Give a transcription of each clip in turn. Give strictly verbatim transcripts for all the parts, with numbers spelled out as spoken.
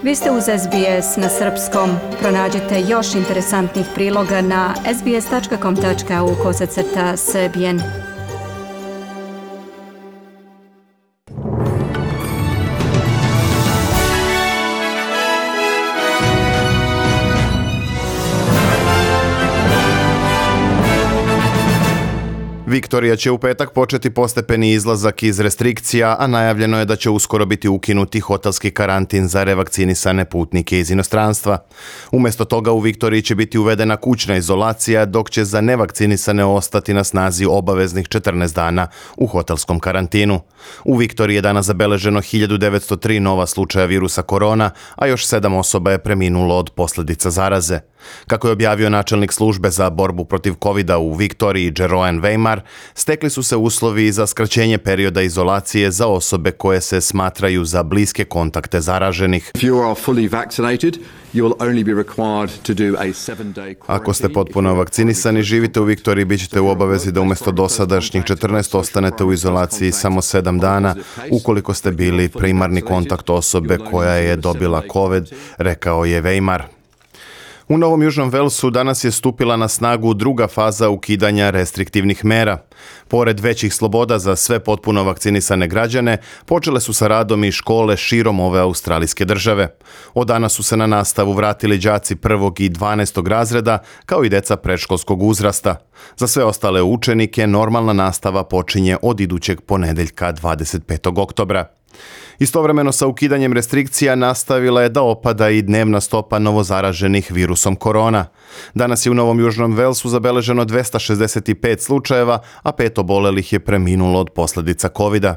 Vi ste uz S B S na srpskom. Pronađite još interesantnih priloga na sbs.com.au kosacrta srbijen. Viktorija će u petak početi postepeni izlazak iz restrikcija, a najavljeno je da će uskoro biti ukinuti hotelski karantin za revakcinisane putnike iz inostranstva. Umjesto toga u Viktoriji će biti uvedena kućna izolacija, dok će za nevakcinisane ostati na snazi obaveznih četrnaest dana u hotelskom karantinu. U Viktoriji je danas zabeleženo hiljadu devetsto tri nova slučaja virusa korona, a još sedam osoba je preminulo od posljedica zaraze. Kako je objavio načelnik službe za borbu protiv covida u Viktoriji, Jeroen Weimar, stekli su se uslovi za skraćenje perioda izolacije za osobe koje se smatraju za bliske kontakte zaraženih. Ako ste potpuno vakcinisani, živite u Viktoriji, bit ćete u obavezi da umjesto dosadašnjih četrnaest ostanete u izolaciji samo sedam dana ukoliko ste bili primarni kontakt osobe koja je dobila COVID, rekao je Weimar. U Novom Južnom Velsu danas je stupila na snagu druga faza ukidanja restriktivnih mera. Pored većih sloboda za sve potpuno vakcinisane građane, počele su sa radom i škole širom ove australijske države. Od danas su se na nastavu vratili đaci prvog i dvanaestog razreda, kao i deca predškolskog uzrasta. Za sve ostale učenike normalna nastava počinje od idućeg ponedeljka dvadeset petog oktobra. Istovremeno sa ukidanjem restrikcija nastavila je da opada i dnevna stopa novozaraženih virusom korona. Danas je u Novom Južnom Velsu zabeleženo dvesta šezdeset pet slučajeva, a pet obolelih je preminulo od posljedica covida.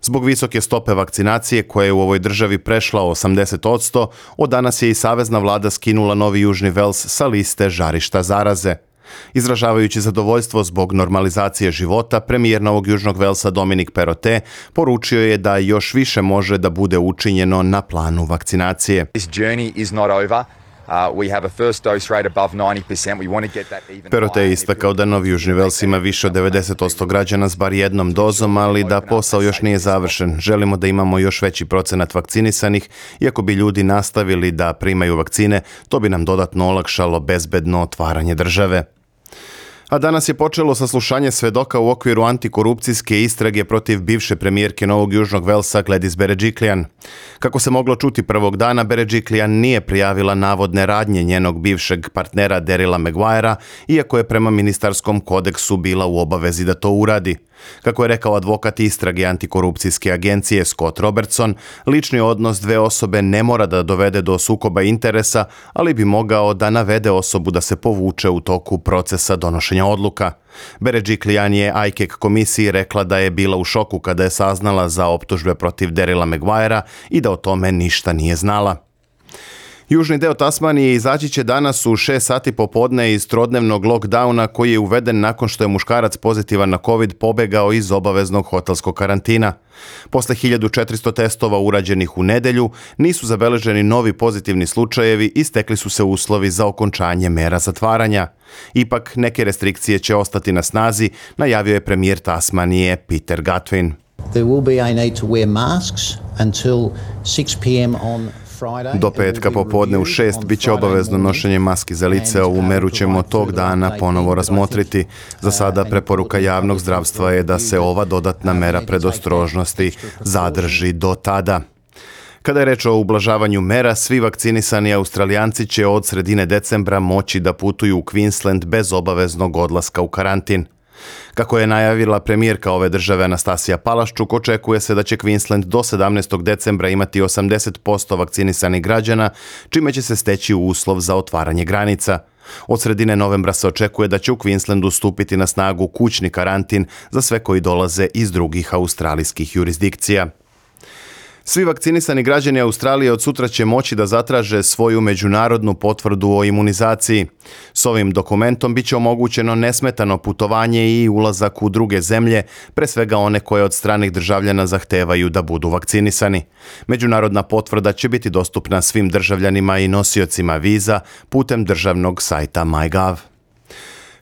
Zbog visoke stope vakcinacije koja je u ovoj državi prešla osamdeset posto, od danas je i savezna vlada skinula Novi Južni Vels sa liste žarišta zaraze. Izražavajući zadovoljstvo zbog normalizacije života, premijer Novog Južnog Velsa Dominic Perrottet poručio je da još više može da bude učinjeno na planu vakcinacije. Perrottet je istakao da Novi Južni Vels ima više od devedeset posto građana s bar jednom dozom, ali da posao još nije završen. Želimo da imamo još veći procenat vakcinisanih i ako bi ljudi nastavili da primaju vakcine, to bi nam dodatno olakšalo bezbedno otvaranje države. A danas je počelo saslušanje svedoka u okviru antikorupcijske istrage protiv bivše premijerke Novog Južnog Velsa Gladys Berejiklian. Kako se moglo čuti prvog dana, Berejiklian nije prijavila navodne radnje njenog bivšeg partnera Daryla Maguirea, iako je prema ministarskom kodeksu bila u obavezi da to uradi. Kako je rekao advokat istrage antikorupcijske agencije Scott Robertson, lični odnos dve osobe ne mora da dovede do sukoba interesa, ali bi mogao da navede osobu da se povuče u toku procesa donošenja odluka. Berejiklian je A I C A C komisiji rekla da je bila u šoku kada je saznala za optužbe protiv Daryla Maguirea i da o tome ništa nije znala. Južni deo Tasmanije izaći će danas u šest sati popodne iz trodnevnog lockdowna koji je uveden nakon što je muškarac pozitivan na COVID pobegao iz obaveznog hotelskog karantina. Posle hiljadu četiristo testova urađenih u nedelju, nisu zabeleženi novi pozitivni slučajevi i stekli su se uslovi za okončanje mera zatvaranja. Ipak, neke restrikcije će ostati na snazi, najavio je premijer Tasmanije Peter Gutwein. There will be a need to wear masks until six p m on Do petka popodne u šest bit će obavezno nošenje maski za lice, ovu meru ćemo tog dana ponovo razmotriti. Za sada preporuka javnog zdravstva je da se ova dodatna mera predostrožnosti zadrži do tada. Kada je reč o ublažavanju mera, svi vakcinisani Australijanci će od sredine decembra moći da putuju u Queensland bez obaveznog odlaska u karantin. Kako je najavila premijerka ove države Anastasija Palaščuk, očekuje se da će Queensland do sedamnaestog decembra imati osamdeset posto vakcinisanih građana, čime će se steći uslov za otvaranje granica. Od sredine novembra se očekuje da će u Queenslandu stupiti na snagu kućni karantin za sve koji dolaze iz drugih australijskih jurisdikcija. Svi vakcinisani građani Australije od sutra će moći da zatraže svoju međunarodnu potvrdu o imunizaciji. S ovim dokumentom bit će omogućeno nesmetano putovanje i ulazak u druge zemlje, pre svega one koje od stranih državljana zahtevaju da budu vakcinisani. Međunarodna potvrda će biti dostupna svim državljanima i nosiocima viza putem državnog sajta MyGov.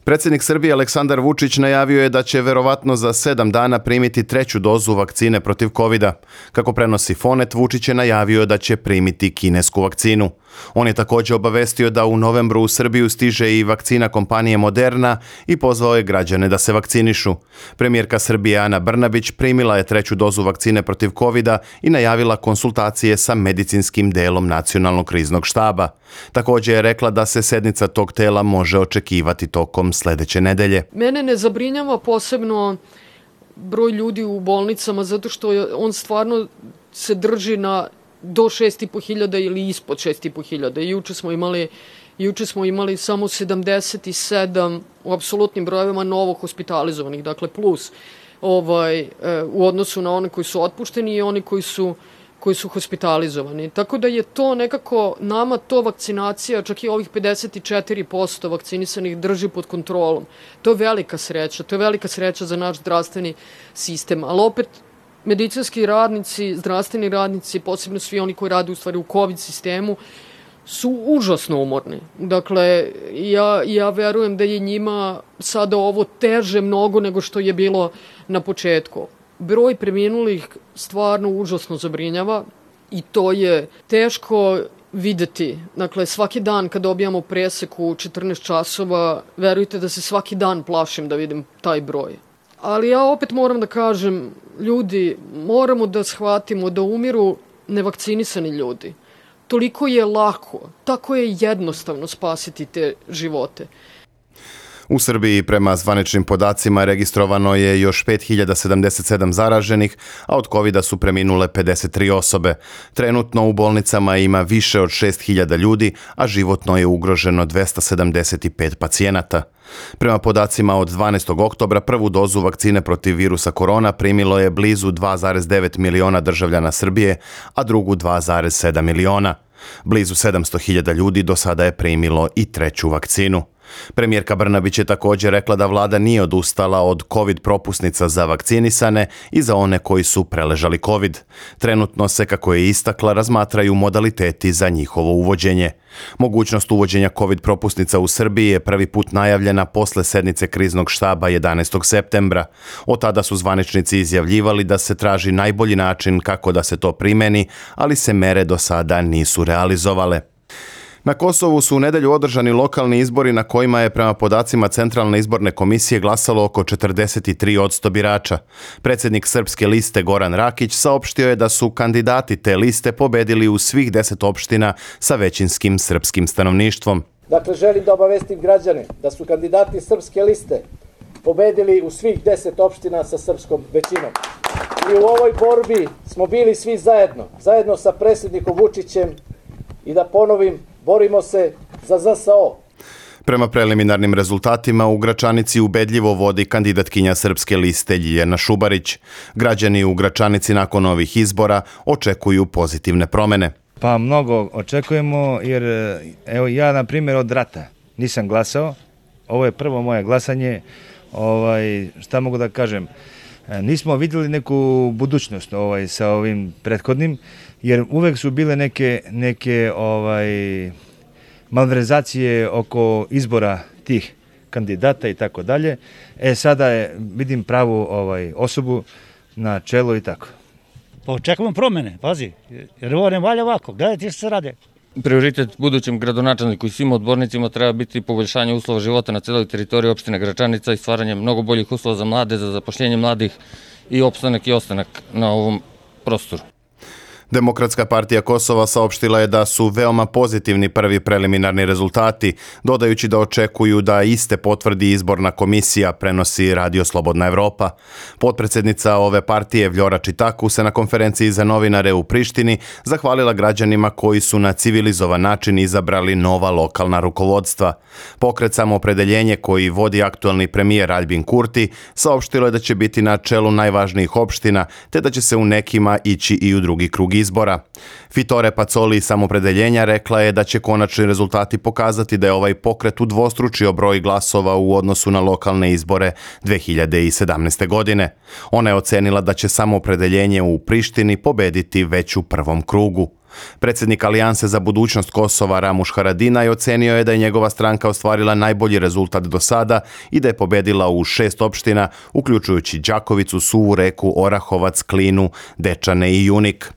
Predsjednik Srbije Aleksandar Vučić najavio je da će verovatno za sedam dana primiti treću dozu vakcine protiv kovida. Kako prenosi Fonet, Vučić je najavio da će primiti kinesku vakcinu. On je također obavestio da u novembru u Srbiju stiže i vakcina kompanije Moderna i pozvao je građane da se vakcinišu. Premijerka Srbije Ana Brnabić primila je treću dozu vakcine protiv kovida i najavila konsultacije sa medicinskim delom Nacionalnog kriznog štaba. Također je rekla da se sednica tog tela može očekivati tokom sljedeće nedelje. Mene ne zabrinjava posebno broj ljudi u bolnicama zato što on stvarno se drži na do šest i po hiljada ili ispod šest i po hiljada. Juče smo imali, juče smo imali samo sedamdeset sedam u apsolutnim brojevima novo hospitalizovanih, dakle plus ovaj, u odnosu na one koji su otpušteni i oni koji su, koji su hospitalizovani. Tako da je to nekako, nama to vakcinacija, čak i ovih pedeset četiri posto vakcinisanih drži pod kontrolom. To je velika sreća, to je velika sreća za naš zdravstveni sistem, ali opet medicinski radnici, zdravstveni radnici, posebno svi oni koji rade u stvari u COVID sistemu, su užasno umorni. Dakle, ja, ja verujem da je njima sada ovo teže mnogo nego što je bilo na početku. Broj preminulih stvarno užasno zabrinjava i to je teško videti. Dakle, svaki dan kad dobijamo presek u četrnaest časova, verujte da se svaki dan plašim da vidim taj broj. Ali ja opet moram da kažem, ljudi, moramo da shvatimo da umiru nevakcinisani ljudi. Toliko je lako, tako je jednostavno spasiti te živote. U Srbiji prema zvaničnim podacima registrovano je još pet hiljada sedamdeset sedam zaraženih, a od kovida su preminule pedeset tri osobe. Trenutno u bolnicama ima više od šest hiljada ljudi, a životno je ugroženo dvesta sedamdeset pet pacijenata. Prema podacima od dvanaestog oktobra prvu dozu vakcine protiv virusa korona primilo je blizu dva zarez devet miliona državljana Srbije, a drugu dva zarez sedam miliona. Blizu sedamsto hiljada ljudi do sada je primilo i treću vakcinu. Premijerka Brnabić je također rekla da vlada nije odustala od COVID propusnica za vakcinisane i za one koji su preležali COVID. Trenutno se, kako je istakla, razmatraju modaliteti za njihovo uvođenje. Mogućnost uvođenja COVID propusnica u Srbiji je prvi put najavljena posle sednice kriznog štaba jedanaestog septembra. Od tada su zvaničnici izjavljivali da se traži najbolji način kako da se to primeni, ali se mere do sada nisu realizovale. Na Kosovu su u nedelju održani lokalni izbori na kojima je prema podacima Centralne izborne komisije glasalo oko četrdeset tri posto birača. Predsjednik Srpske liste Goran Rakić saopštio je da su kandidati te liste pobedili u svih deset opština sa većinskim srpskim stanovništvom. Dakle, želim da obavestim građane da su kandidati Srpske liste pobedili u svih deset opština sa srpskom većinom. I u ovoj borbi smo bili svi zajedno, zajedno sa predsjednikom Vučićem i da ponovim, borimo se za Z S O. Prema preliminarnim rezultatima u Gračanici ubedljivo vodi kandidatkinja Srpske liste Ljiljana Šubarić. Građani u Gračanici nakon ovih izbora očekuju pozitivne promene. Pa mnogo očekujemo jer evo ja na primjer od rata nisam glasao. Ovo je prvo moje glasanje. Ovaj, šta mogu da kažem? Nismo vidjeli neku budućnost ovaj, sa ovim prethodnim, jer uvek su bile neke, neke ovaj, malverzacije oko izbora tih kandidata i tako dalje. E sada je, vidim pravu ovaj, osobu na čelu i tako. Pa očekujemo promene, pazi, jer ovo ne valja ovako, gledajte što se rade. Prioritet budućem gradonačelniku i svim odbornicima treba biti poboljšanje uslova života na celoj teritoriji opštine Gračanica i stvaranje mnogo boljih uslova za mlade, za zapošljenje mladih i opstanak i ostanak na ovom prostoru. Demokratska partija Kosova saopštila je da su veoma pozitivni prvi preliminarni rezultati, dodajući da očekuju da iste potvrdi izborna komisija, prenosi Radio Slobodna Evropa. Potpredsjednica ove partije Vljora Čitaku se na konferenciji za novinare u Prištini zahvalila građanima koji su na civilizovan način izabrali nova lokalna rukovodstva. Pokret Samoopredeljenje koji vodi aktualni premijer Aljbin Kurti saopštilo je da će biti na čelu najvažnijih opština, te da će se u nekima ići i u drugi krug izbora. Fitore Pacoli iz Samoopredeljenja rekla je da će konačni rezultati pokazati da je ovaj pokret udvostručio broj glasova u odnosu na lokalne izbore dve hiljade sedamnaeste. godine. Ona je ocenila da će Samoopredeljenje u Prištini pobediti već u prvom krugu. Predsjednik Alijanse za budućnost Kosova Ramuš Haradinaj ocenio je da je njegova stranka ostvarila najbolji rezultat do sada i da je pobedila u šest opština, uključujući Đakovicu, Suvu Reku, Orahovac, Klinu, Dečane i Junik.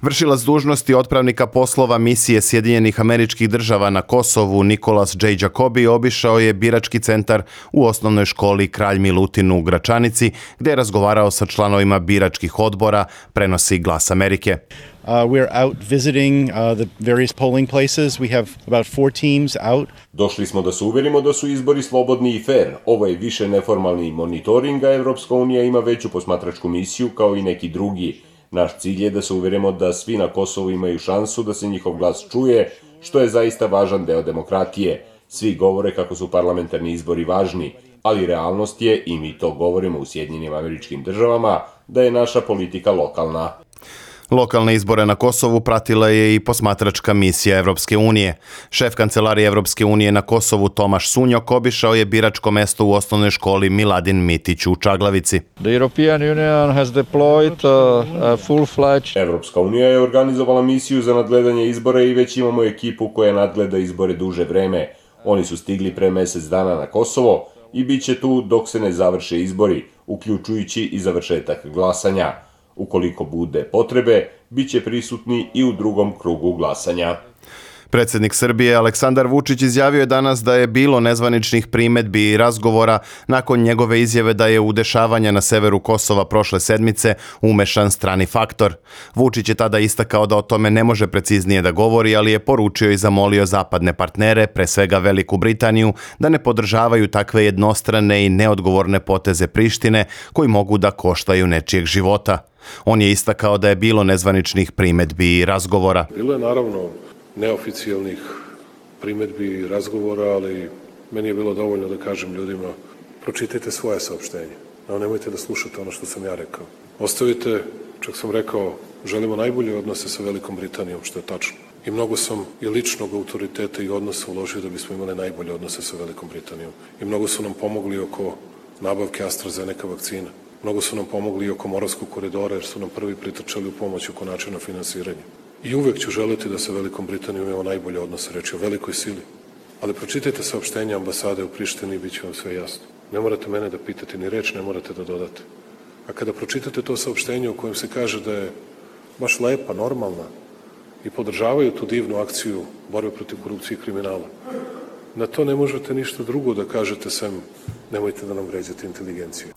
Vršilac dužnosti otpravnika poslova misije Sjedinjenih Američkih Država na Kosovu Nikolas J. Jacobi obišao je birački centar u osnovnoj školi Kralj Milutin u Gračanici, gdje je razgovarao sa članovima biračkih odbora, prenosi Glas Amerike. Uh, we're out visiting uh, the various polling places. We have about four teams out. Došli smo da se uverimo da su izbori slobodni i fair. Ovo je više neformalni monitoring, a Evropska unija ima veću posmatračku misiju kao i neki drugi. Naš cilj je da se uverimo da svi na Kosovu imaju šansu da se njihov glas čuje, što je zaista važan deo demokratije. Svi govore kako su parlamentarni izbori važni, ali realnost je, i mi to govorimo u Sjedinjenim Američkim Državama, da je naša politika lokalna. Lokalne izbore na Kosovu pratila je i posmatračka misija Evropske unije. Šef kancelarije Evropske unije na Kosovu Tomaš Sunjok obišao je biračko mesto u osnovnoj školi Miladin Mitić u Čaglavici. The European Union has deployed a, a full-fledged... Evropska unija je organizovala misiju za nadgledanje izbora i već imamo ekipu koja nadgleda izbore duže vreme. Oni su stigli pre mesec dana na Kosovo i bit će tu dok se ne završe izbori, uključujući i završetak glasanja. Ukoliko bude potrebe, bit će prisutni i u drugom krugu glasanja. Predsjednik Srbije Aleksandar Vučić izjavio je danas da je bilo nezvaničnih primedbi i razgovora nakon njegove izjave da je u dešavanja na severu Kosova prošle sedmice umešan strani faktor. Vučić je tada istakao da o tome ne može preciznije da govori, ali je poručio i zamolio zapadne partnere, pre svega Veliku Britaniju, da ne podržavaju takve jednostrane i neodgovorne poteze Prištine koji mogu da koštaju nečijeg života. On je istakao da je bilo nezvaničnih primedbi i razgovora. Bilo je naravno neoficijalnih primedbi i razgovora, ali meni je bilo dovoljno da kažem ljudima: pročitajte svoje saopštenje, no nemojte da slušate ono što sam ja rekao. Ostavite, čak sam rekao, želimo najbolje odnose sa Velikom Britanijom, što je tačno. I mnogo sam i ličnog autoriteta i odnosa uložio da bismo imali najbolje odnose sa Velikom Britanijom. I mnogo su nam pomogli oko nabavke AstraZeneca vakcina. Mnogo su nam pomogli i oko Moravskog koridora, jer su nam prvi pritrčali u pomoć oko načina finansiranja. I uvek ću želiti da sa Velikom Britanijom imamo najbolje odnose, reći o velikoj sili. Ali pročitajte saopštenje ambasade u Prištini i bit će vam sve jasno. Ne morate mene da pitate, ni reč ne morate da dodate. A kada pročitate to saopštenje u kojem se kaže da je baš lepa, normalna i podržavaju tu divnu akciju borbe protiv korupcije i kriminala, na to ne možete ništa drugo da kažete sem nemojte da nam vređate inteligenciju.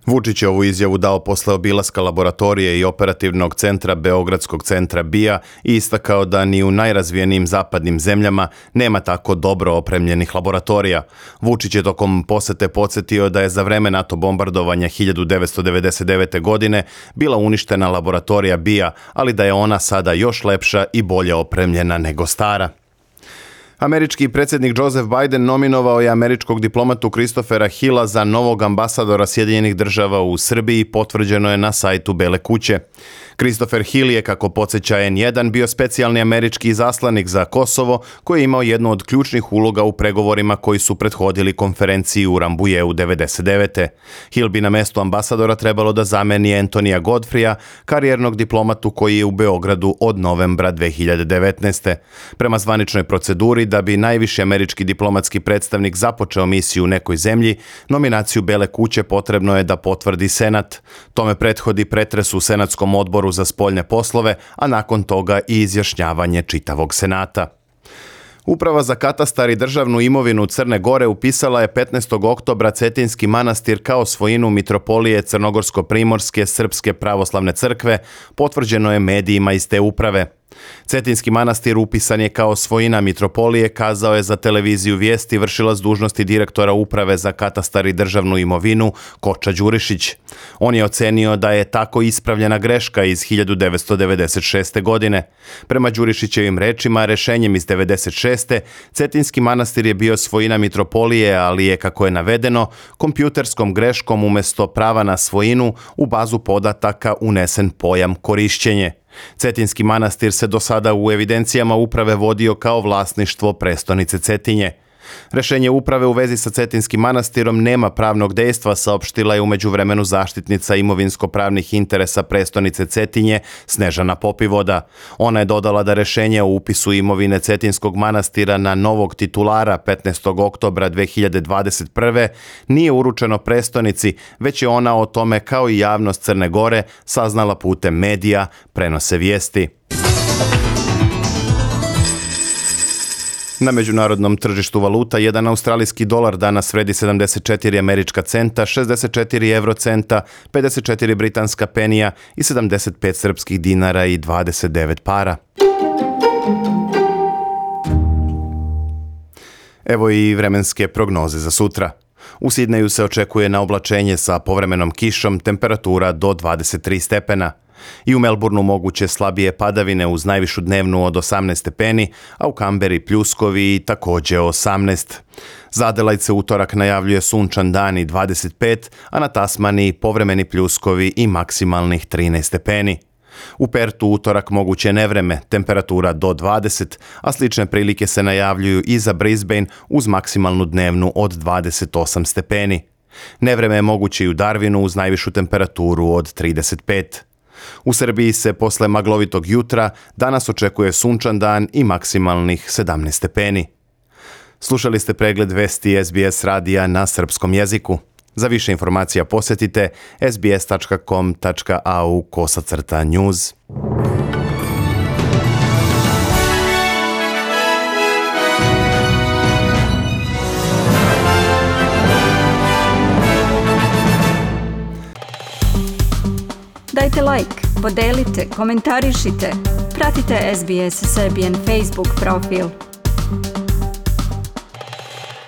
Vučić je ovu izjavu dao posle obilaska laboratorije i operativnog centra Beogradskog centra B I A i istakao da ni u najrazvijenijim zapadnim zemljama nema tako dobro opremljenih laboratorija. Vučić je tokom posete podsjetio da je za vreme NATO bombardovanja hiljadu devetsto devedeset devete. godine bila uništena laboratorija B I A, ali da je ona sada još lepša i bolje opremljena nego stara. Američki predsjednik Joseph Biden nominovao je američkog diplomatu Christophera Hilla za novog ambasadora Sjedinjenih Država u Srbiji, potvrđeno je na sajtu Bele kuće. Christopher Hill je, kako podsjeća N jedan, bio specijalni američki izaslanik za Kosovo, koji je imao jednu od ključnih uloga u pregovorima koji su prethodili konferenciji u Rambujeu devedeset devete. Hill bi na mestu ambasadora trebalo da zameni Antonija Godfreya, karijernog diplomatu koji je u Beogradu od novembra dve hiljade devetnaeste. Prema zvaničnoj proceduri, da bi najviši američki diplomatski predstavnik započeo misiju u nekoj zemlji, nominaciju Bele kuće potrebno je da potvrdi Senat. Tome prethodi pretres u Senatskom odboru za spoljne poslove, a nakon toga i izjašnjavanje čitavog Senata. Uprava za katastar i državnu imovinu Crne Gore upisala je petnaestog oktobra Cetinski manastir kao svojinu Mitropolije Crnogorsko-primorske Srpske pravoslavne crkve, potvrđeno je medijima iz te uprave. Cetinski manastir upisan je kao svojina Mitropolije, kazao je za televiziju Vijesti vršilac dužnosti direktora Uprave za katastar i državnu imovinu Koča Đurišić. On je ocenio da je tako ispravljena greška iz hiljadu devetsto devedeset šeste. godine. Prema Đurišićevim rečima, rešenjem iz devedeset šeste. Cetinski manastir je bio svojina Mitropolije, ali je, kako je navedeno, kompjuterskom greškom umesto prava na svojinu u bazu podataka unesen pojam korišćenje. Cetinski manastir se do sada u evidencijama uprave vodio kao vlasništvo prestonice Cetinje. Rešenje uprave u vezi sa Cetinskim manastirom nema pravnog dejstva, saopštila je u međuvremenu zaštitnica imovinsko-pravnih interesa prestonice Cetinje Snežana Popivoda. Ona je dodala da rešenje o upisu imovine Cetinskog manastira na novog titulara petnaestog oktobra dve hiljade dvadeset prve. nije uručeno prestonici, već je ona o tome kao i javnost Crne Gore saznala putem medija, prenose vijesti. Na međunarodnom tržištu valuta jedan australijski dolar danas vredi sedamdeset četiri američka centa, šezdeset četiri evrocenta, pedeset četiri britanska penija i sedamdeset pet srpskih dinara i dvadeset devet para. Evo i vremenske prognoze za sutra. U Sidneju se očekuje na oblačenje sa povremenom kišom, temperatura do dvadeset tri stepena. I u Melbourneu moguće slabije padavine uz najvišu dnevnu od osamnaest stepeni, a u Kamberi pljuskovi i također osamnaest. Za Adelaide se utorak najavljuje sunčan dan i dvadeset pet, a na Tasmaniji povremeni pljuskovi i maksimalnih trinaest stepeni. U Pertu utorak moguće nevreme, temperatura do dvadeset, a slične prilike se najavljuju i za Brisbane uz maksimalnu dnevnu od dvadeset osam stepeni. Nevreme je moguće i u Darwinu uz najvišu temperaturu od trideset pet. U Srbiji se posle maglovitog jutra danas očekuje sunčan dan i maksimalnih sedamnaest stepeni. Slušali ste pregled vesti S B S radija na srpskom jeziku. Za više informacija posjetite s b s tačka com tačka a u kosacrta news. Dajte like, podelite, komentarišite, pratite S B S Serbian Facebook profil.